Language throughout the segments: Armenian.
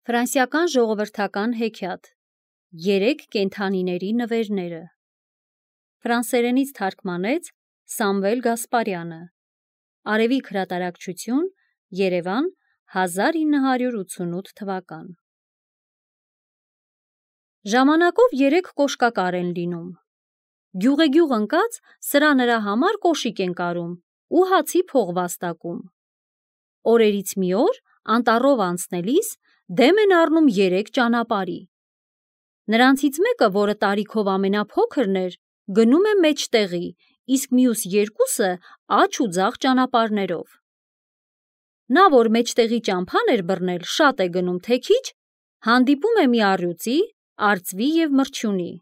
Ֆրանսիական ժողովրդական հեքիաթ Երեք կենդանիների նվերները Ֆրանսերենից թարգմանեց Սամվել Գասպարյանը Արևիկ հրատարակչություն Երևան 1988 թվական Ժամանակով երեք կոշկակար են լինում Գյուղեգյուղ ընկած սրա նրա համար կոշիկ են կարում ու հացի փող վաստակում Օրերից մի օր անտառով անցնելիս դեմ են առնում երեք ճանապարհի Նրանցից մեկը, որը տարիքով ամենափոքրն էր, գնում է մեջտեղի, իսկ մյուս երկուսը աջ ու ձախ ճանապարհներով Նա, որ մեջտեղի ճամփան էր բռնել, շատ է գնում, թե քիչ, հանդիպում է մի առյուծի, արծվի և մրջյունի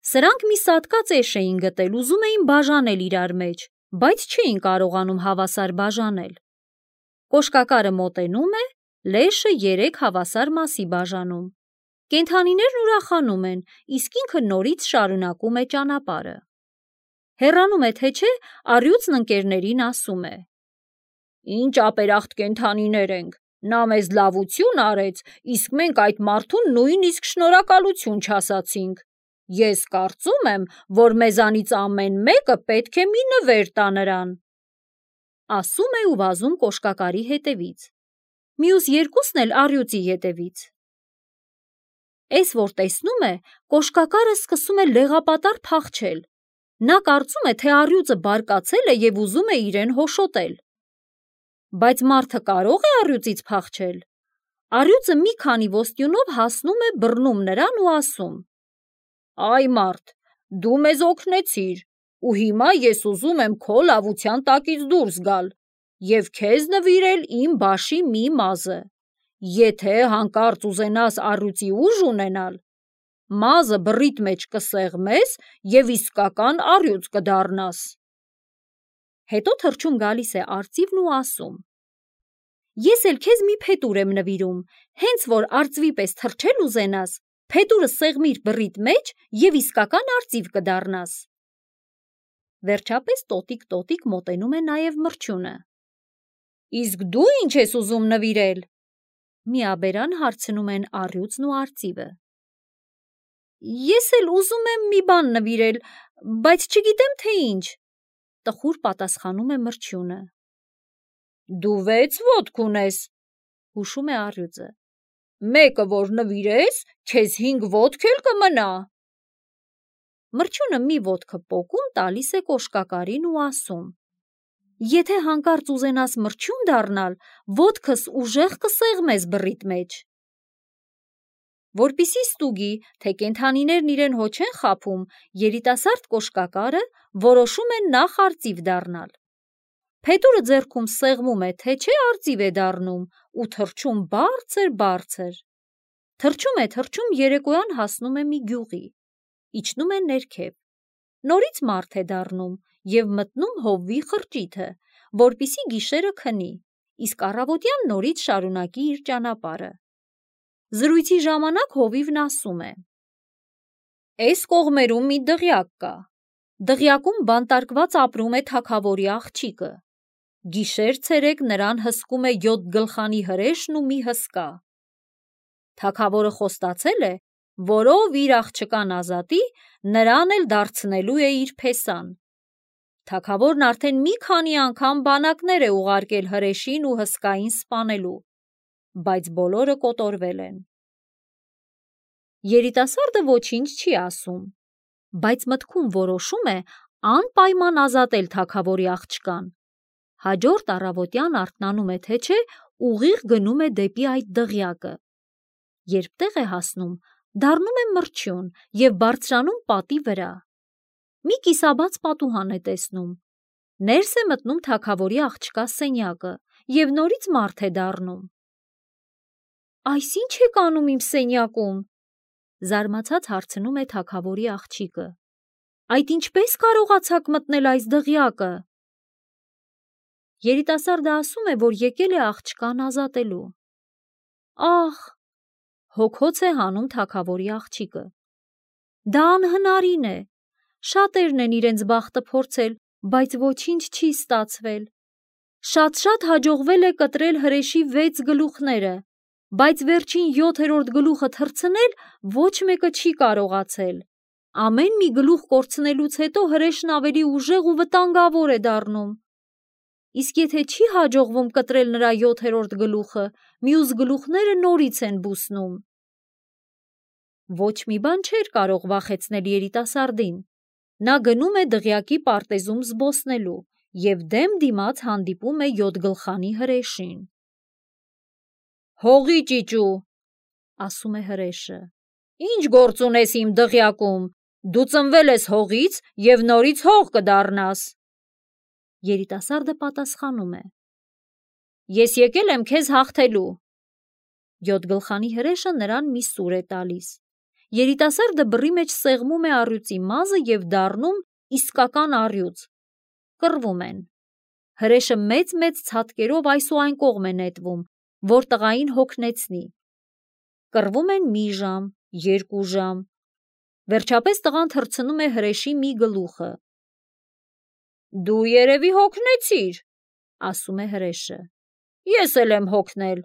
Սրանք մի սատկած էշ էին գտել, ուզում էին բաժանել իրար մեջ, բայց չէին կարողանում հավասար բաժանել Կոշկակարը մոտենում է, լեշը երեք հավասար մասի բաժանում Կենդանիներն ուրախանում են, իսկ ինքը նորից շարունակում է ճանապարհը Հեռանում է թե չէ, առյուծն ընկերներին ասում է Ինչ ապերախտ կենդանիներ ենք, նա մեզ լավություն արեց, իսկ մենք այդ մարդուն նույնիսկ շնորհակալություն չասացինք Ես կարծում եմ, որ մեզանից ամեն մեկը պետք է մի նվեր տա նրան Ասում է ու վազում կոշկակարի հետևից Մյուս երկուսն էլ առյուծի հետևից Էս որ տեսնում է, կոշկակարը սկսում է լեղապատառ փախչել Նա կարծում է, թե առյուծը բարկացել է և ուզում է իրեն հոշոտել Բայց մարդը կարո՞ղ է առյուծից փախչել Առյուծը մի քանի ոսტյունով հասնում է բռնում նրան ու ասում Այ մարդ, դու մեզ օգնեցիր ու հիմա ես ուզում եմ քո լավության տակից դուրս գալ և քեզ նվիրել իմ բաշի մի մազը Եթե հանկարծ ուզենաս առյուծի ուժ ունենալ, մազը բռիդ մեջ կսեղմես և իսկական առյուծ կդառնաս Հետո թռչում գալիս է արծիվն ու ասում Ես էլ քեզ մի փետուր եմ նվիրում, հենց որ արծվի պես թռչել ուզենաս, փետուրը սեղմիր բռիդ մեջ և իսկական արծիվ կդառնաս Վերջապես տոտիկ մոտենում է նաև մրջյունը Իսկ դու ինչ ես ուզում նվիրել Միաբերան հարցնում են առյուծն ու արծիվը Ես էլ ուզում եմ մի բան նվիրել, բայց չգիտեմ թե ինչ Տխուր պատասխանում է մրջյունը Դու 6 ոտք ունես, հուշում է առյուծը Մեկը որ նվիրես, քեզ 5 ոտք էլ կմնա Մրջյունը մի ոտքը պոկում տալիս է կոշկակարին ու ասում Եթե հանկարծ ուզենաս մրջյուն դառնալ, ոտքս ուժեղ կսեղմես բռիդ մեջ Որպեսզի ստուգի, թե կենդանիներն իրեն հո չեն խաբում, երիտասարդ կոշկակարը որոշում է նախ արծիվ դառնալ Փետուրը ձեռքում սեղմում է, թե չէ արծիվ է դառնում ու թռչում բարձր Թռչում երեկոյան հասնում է մի գյուղի Իջնում է ներքև Նորից մարդ է դառնում և մտնում հովվի խրճիթը, որպեսզի գիշերը քնի, իսկ առավոտյան նորից շարունակի իր ճանապարհը Զրույցի ժամանակ հովիվն ասում է Էս կողմերում մի դղյակ կա Դղյակում բանտարկված ապրում է թագավորի աղջիկը Գիշեր-ցերեկ նրան հսկում է 7 գլխանի հրեշն ու մի հսկա Թագավորը խոստացել է, որ ով իր աղջկան ազատի, նրան էլ դարձնելու է իր փեսան Թագավորն արդեն մի քանի անգամ բանակներ է ուղարկել հրեշին ու հսկային սպանելու, բայց բոլորը կոտորվել են Երիտասարդը ոչինչ չի ասում, բայց մտքում որոշում է անպայման ազատել թագավորի աղջկան Հաջորդ առավոտյան արթնանում է թե չէ, ուղիղ գնում է դեպի այդ դղյակը Երբ տեղ է հասնում, դառնում է մրջյուն և բարձրանում պատի վրա Մի կիսաբաց պատուհան է տեսնում Ներս է մտնում թագավորի աղջկա սենյակը և նորից մարդ է դառնում Այս ի՞նչ եք անում իմ սենյակում Զարմացած հարցնում է թագավորի աղջիկը Այդ ինչպես կարողացաք մտնել այս դղյակը Երիտասարդը ասում է, որ եկել է աղջկան ազատելու Ահ, հոգոց է հանում թագավորի աղջիկը Դա անհնարին է Շատերն են իրենց բախտը փորձել, բայց ոչինչ չի ստացվել Շատ հաջողվել է կտրել հրեշի 6 գլուխները, բայց վերջին 7-րդ գլուխը թռցնել ոչ մեկը չի կարողացել։ Ամեն մի գլուխ կորցնելուց հետո հրեշն ավելի ուժեղ ու վտանգավոր է դառնում։ Իսկ եթե չի հաջողվում կտրել նրա 7-րդ գլուխը, մյուս գլուխները նորից են բուսնում։ Ոչ մի բան չէր կարող վախեցնել երիտասարդին։ Նա գնում է դղյակի պարտեզում զբոսնելու և դեմ դիմաց հանդիպում է 7 գլխանի հրեշին։ «Հողի ճիճու», ասում է հրեշը, «ինչ գործ ունես իմ դղյակում, դու ծնվել ես հողից և նորից հող կդառնաս»։ Երիտասարդը պատասխանում է. «Ես եկել եմ քեզ հաղթելու»։ 7 գլխանի հրեշը նրան մի սուր է տալիս։ Երիտասարդը բռի մեջ սեղմում է առյուծի մազը և դառնում իսկական առյուծ։ Կռվում են։ Հրեշը մեծ ցատկերով այս ու այն կողմ է նետվում, որ տղային հոգնեցնի։ Կռվում են մի ժամ, 2 ժամ։ Վերջապես տղան թռցնում է հրեշի մի գլուխը։ «Դու երևի հոգնեցիր», ասում է հրեշը։ «Ես էլ եմ հոգնել,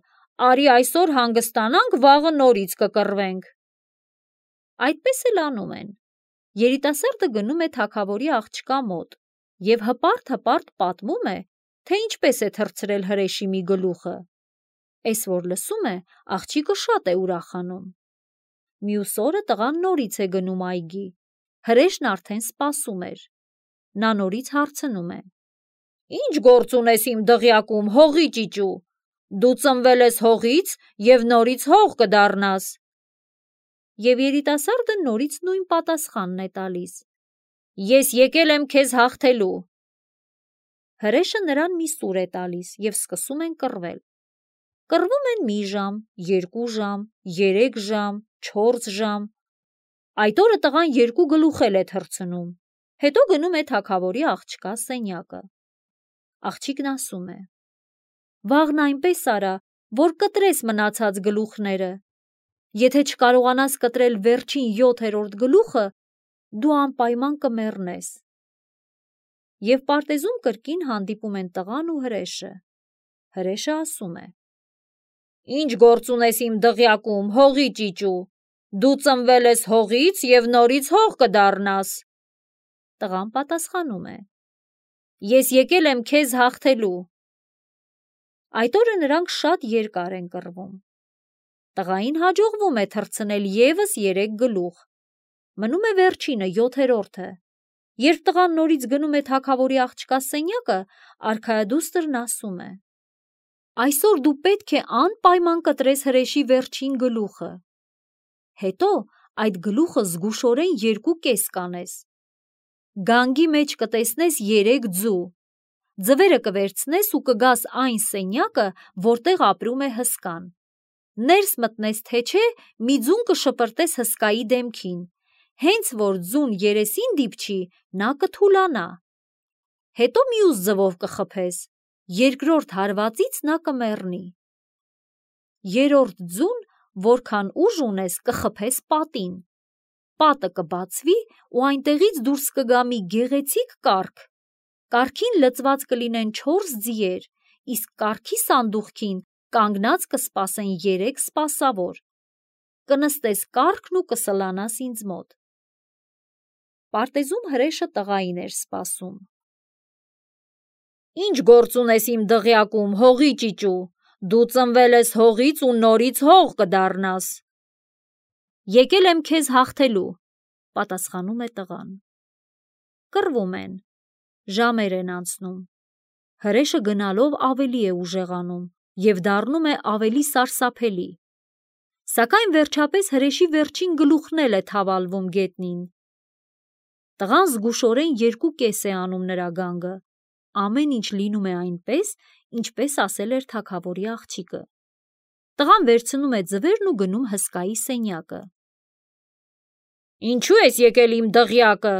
արի այսօր հանգստանանք, վաղը նորից կկռվենք»։ Այդպես էլ անում են։ Երիտասարդը գնում է թագավորի աղջկա մոտ և հպարտ պատմում է, թե ինչպես է թռցրել հրեշի մի գլուխը։ Էս որ լսում է, աղջիկը շատ է ուրախանում։ Մյուս օրը տղան նորից է գնում այգի։ Հրեշն արդեն սպասում էր։ Նա նորից հարցնում է. «Ինչ գործ ունես իմ դղյակում, հողի ճիճու, դու ծնվել ես հողից և նորից հող կդառնաս»։ Եվ երիտասարդը նորից նույն պատասխանն է տալիս. «Ես եկել եմ քեզ հաղթելու»։ Հրեշը նրան մի սուր է տալիս և սկսում են կռվել։ Կռվում են մի ժամ, 2 ժամ, 3 ժամ, 4 ժամ։ Այդ օրը տղան 2 գլուխ էլ է թռցնում։ Հետո գնում է թագավորի աղջկա սենյակը։ Աղջիկն ասում է. «Վաղն այնպես արա, որ կտրես մնացած գլուխները։ Եթե չկարողանաս կտրել վերջին 7-րդ գլուխը, դու անպայման կմեռնես»։ Եվ պարտեզում կրկին հանդիպում են տղան ու հրեշը։ Հրեշը ասում է. «Ինչ գործ ունես իմ դղյակում, հողի ճիճու, դու ծնվել ես հողից և նորից հող կդառնաս»։ Տղան պատասխանում է. «Ես եկել եմ քեզ հաղթելու»։ Այդ օրը նրանք շատ երկար են կռվում։ Տղային հաջողվում է թռցնել ևս 3 գլուխ։ Մնում է վերջինը, 7-րդը։ Երբ տղան նորից գնում է թագավորի աղջկա սենյակը, արքայադուստրն ասում է. «Այսօր դու պետք է անպայման կտրես հրեշի վերջին գլուխը։ Հետո այդ գլուխը զգուշորեն 2 կես կանես։ Գանգի մեջ կտեսնես 3 ձու։ Ձվերը կվերցնես ու կգաս այն սենյակը, որտեղ ապրում է հսկան։ Ներս մտնես թե չէ, մի ձուն կշպրտես հսկայի դեմքին։ Հենց որ ձուն երեսին դիպչի, նա կթուլանա։ Հետո մյուս ձվով կխփես, 2-րդ հարվածից նա կմեռնի։ 3-րդ ձուն, որքան ուժ ունես, կխփես պատին։ Պատը կբացվի ու այնտեղից դուրս կգա մի գեղեցիկ կառք։ Կառքին լծված կլինեն 4 ձիեր, իսկ կառքի սանդուղքին կանգնած կսպասեն 3 սպասավոր։ Կնստես կառքն ու կսլանաս ինձ մոտ»։ Պարտեզում հրեշը տղային էր սպասում։ «Ինչ գործ ունես իմ դղյակում, հողի ճիճու, դու ծնվել ես հողից ու նորից հող կդառնաս»։ «Եկել եմ քեզ հաղթելու», պատասխանում է տղան։ Կռվում են։ Ժամեր են անցնում։ Հրեշը գնալով ավելի է ուժեղանում և դառնում է ավելի սարսափելի։ Սակայն վերջապես հրեշի վերջին գլուխն էլ է թավալվում գետնին։ Տղան զգուշորեն 2 կես է անում նրա գանգը։ Ամեն ինչ լինում է այնպես, ինչպես ասել էր թագավորի աղջիկը։ Տղան վերցնում է ձվերն ու գնում հսկայի սենյակը։ «Ինչու ես եկել իմ դղյակը»,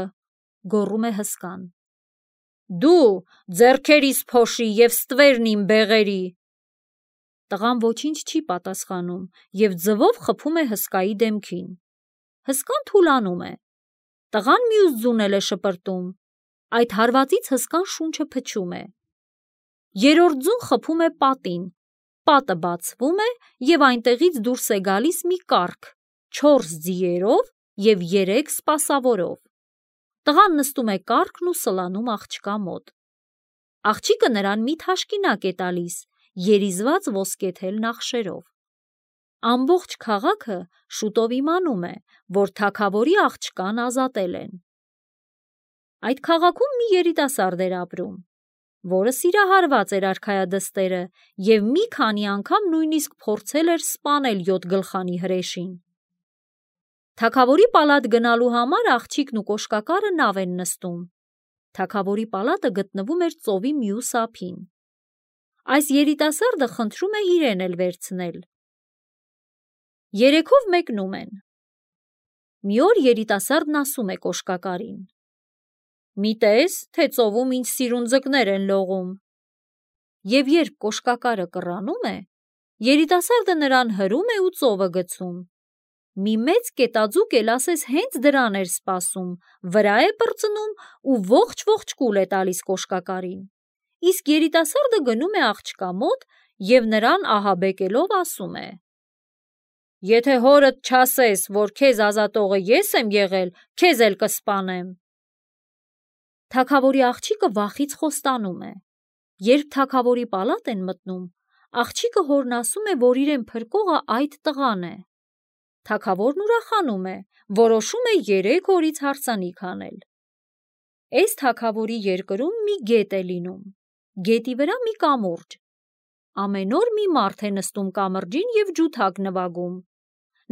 գոռում է հսկան։ «Դու ձեռքերիս փոշի և ստվերն իմ բեղերի»։ Տղան ոչինչ չի պատասխանում և ձվով խփում է հսկայի դեմքին։ Հսկան թուլանում է։ Տղան մյուս ձուն էլ է շպրտում։ Այդ հարվածից հսկան շունչը փչում է։ 3-րդ ձուն խփում է պատին։ պատը բացվում է և այնտեղից դուրս է գալիս մի կառք 4 ձիերով և 3 սպասավորով։ Տղան նստում է կառքն ու սլանում աղջկա մոտ։ Աղջիկը նրան մի թաշկինակ է տալիս, երիզված ոսկեթել նախշերով։ Ամբողջ քաղաքը շուտով իմանում է, որ թագավորի աղջկան ազատել են։ Այդ քաղաքում մի երիտասարդ էր ապրում, որը սիրահարված էր արքայադստերը և մի քանի անգամ նույնիսկ փորձել էր սպանել 7 գլխանի հրեշին։ Թագավորի պալատ գնալու համար աղջիկն ու կոշկակարը նավ են նստում։ Թագավորի պալատը գտնվում էր ծովի մյուս ափին։ Այս երիտասարդը խնդրում է իրեն էլ վերցնել։ Երեքով մեկնում են։ Մի օր երիտասարդն ասում է կոշկակարին. «Մի տես, թե ծովում ինչ սիրունձկներ են լողում»։ Եվ երբ կոշկակարը կռանում է, երիտասարդը նրան հրում է ու ծովը գցում։ Մի մեծ կետաձուկ էլ ասես հենց դրան էր սպասում, վրա է պրծնում ու ողջ կուլ է տալիս կոշկակարին։ Իսկ երիտասարդը գնում է աղջկա մոտ և նրան ահաբեկելով ասում է. «Եթե հորդ չասես, որ քեզ ազատողը ես եմ եղել, քեզ էլ կսպանեմ»։ Թագավորի աղջիկը վախից խոստանում է։ Երբ թագավորի պալատ են մտնում, աղջիկը հորն ասում է, որ իրեն փրկողը այդ տղան է։ Թագավորն ուրախանում է, որոշում է 3 օրից հարսանիք անել։ Էս թագավորի երկրում մի գետ է լինում, գետի վրա մի կամուրջ։ Ամեն օր մի մարդ է նստում կամրջին և ջութակ նվագում։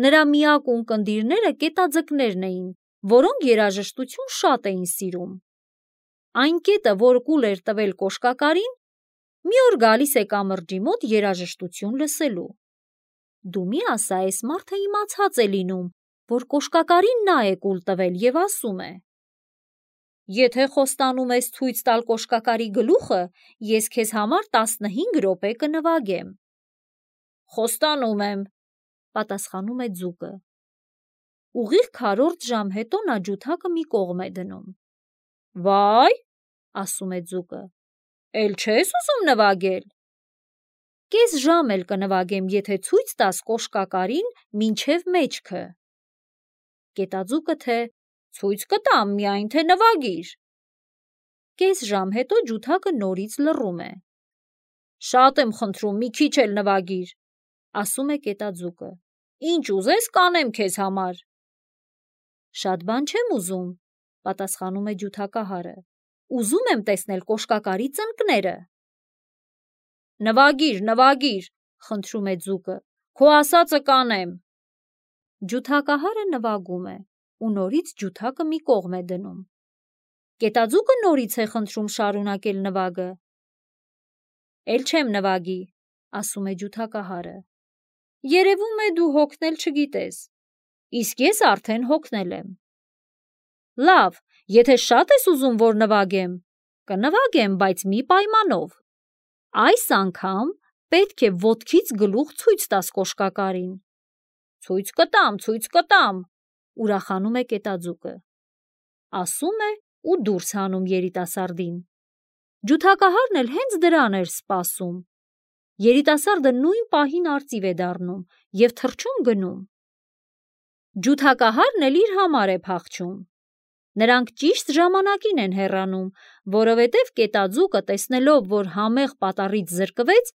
Նրա միակ ունկնդիրները կետաձկներն էին, որոնք երաժշտություն շատ էին սիրում։ Այն կետը, որ կուլ էր տվել կոշկակարին, մի օր գալիս է կամրջի մոտ երաժշտություն լսելու։ Դու մի ասա, այս մարդը իմացած է լինում, որ կոշկակարին նա է կուլ տվել և ասում է. «Եթե խոստանում ես ցույց տալ կոշկակարի գլուխը, ես քեզ համար 15 րոպե կնվագեմ»։ «Խոստանում եմ», պատասխանում է ձուկը։ Ուղիղ 4 ժամ հետո նա ջութակը մի կողմ է դնում։ «Վայ», ասում է ձուկը, «էլ չես ուզում նվագել»։ «Կես ժամ էլ կնվագեմ, եթե ցույց տաս կոշկակարին մինչև մեջքը»։ Կետաձուկը թե. «Ցույց կտամ, միայն թե նվագիր»։ Կես ժամ հետո ջութակը նորից լռում է։ «Շատ եմ խնդրում, մի քիչ էլ նվագիր», ասում է կետաձուկը, «ինչ ուզես կանեմ քեզ համար»։ «Շատ բան չեմ ուզում», պատասխանում է ջութակահարը, «ուզում եմ տեսնել կոշկակարի ծնկները»։ Նվագիր, խնդրում է ձուկը, քո ասածը կանեմ։ Ջութակահարը նվագում է ու նորից ջութակը մի կողմ է դնում։ Կետաձուկը նորից է խնդրում շարունակել նվագը։ «Էլ չեմ նվագի», ասում է ջութակահարը, «երևում է դու հոգնել չգիտես, իսկ ես արդեն հոգնել եմ»։ «Լավ, եթե շատ ես ուզում, որ նվագեմ, կնվագեմ, բայց մի պայմանով։ Այս անգամ պետք է ոտքից գլուխ ցույց տաս կոշկակարին»։ «Ցույց կտամ», ուրախանում է կետաձուկը։ Ասում է ու դուրս հանում երիտասարդին։ Ջութակահարն էլ հենց դրան էր սպասում։ Երիտասարդը նույն պահին արծիվ է դառնում և թռչում գնում։ Ջութակահարն էլ իր համար է փախչում։ Նրանք ճիշտ ժամանակին են հեռանում, որովհետև կետաձուկը, տեսնելով, որ համեղ պատառից զրկվեց,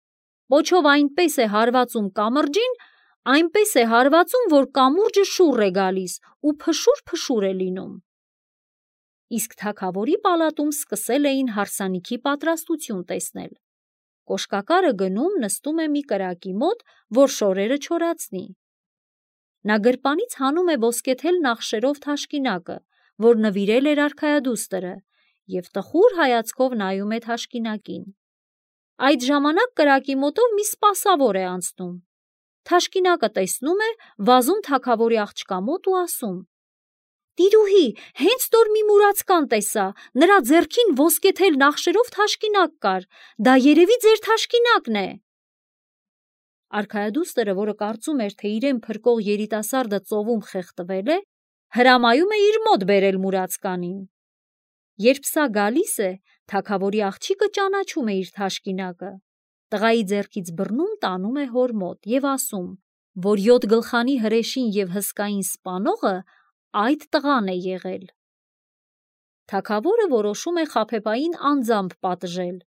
պոչով այնպես է հարվածում կամրջին, այնպես է հարվածում, որ կամուրջը շուռ է գալիս ու փշուր է լինում։ Իսկ թագավորի պալատում սկսել էին հարսանիքի պատրաստություն տեսնել։ Կոշկակարը գնում նստում է մի կրակի մոտ, որ շորերը չորացնի։ Նա գրպանից հանում է ոսկեթել նախշերով թաշկինակը, որ նվիրել էր արքայադուստրը, և տխուր հայացքով նայում է թաշկինակին։ Այդ ժամանակ կրակի մոտով մի սպասավոր է անցնում։ Թաշկինակը տեսնում է, վազում թագավորի աղջկա մոտ ու ասում. «Տիրուհի, հենց նոր մի մուրացկան տեսա, նրա ձեռքին ոսկեթել նախշերով թաշկինակ կար, դա երևի ձեր թաշկինակն է»։ Արքայադուստրը, որը կարծում էր, թե իրեն փրկող երիտասարդը ծովում խեղդվել է, հրամայում է իր մոտ բերել մուրացկանին։ Երբ սա գալիս է, թագավորի աղջիկը ճանաչում է իր թաշկինակը։ Տղայի ձեռքից բռնում տանում է հոր մոտ և ասում, որ 7 գլխանի հրեշին և հսկային սպանողը այդ տղան է եղել։ Թագավորը որոշում է խաբեբային անձամբ պատժել։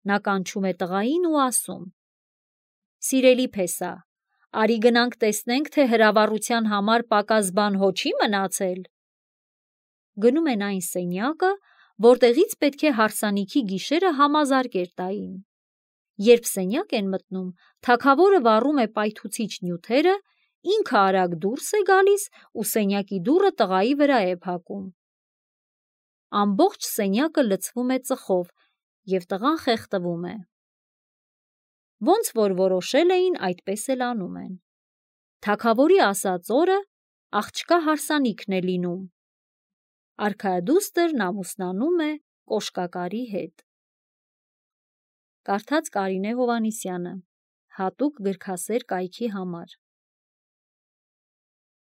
Նա կանչում է տղային ու ասում. «Սիրելի փեսա, արի գնանք տեսնենք, թե հրավառության համար պակաս բան հո չի մնացել»։ Գնում են այն սենյակը, որտեղից պետք է հարսանիքի գիշերը համազարկեր տային։ Երբ սենյակ են մտնում, թագավորը վառում է պայթուցիչ նյութերը, ինքը արագ դուրս է գալիս ու սենյակի դուռը տղայի վրա է փակում։ Ամբողջ սենյակը լցվում է ծխով, և տղան խեղդվում է։ Ոնց որ որոշել էին, այդպես էլ անում են։ Թագավորի ասած օրը աղջկա հարսանիքն է լինում։ Արքայադուստրն ամուսնանում է կոշկակարի հետ։ Կարդաց Կարինե Հովհաննիսյանը, հատուկ գրքասեր կայքի համար։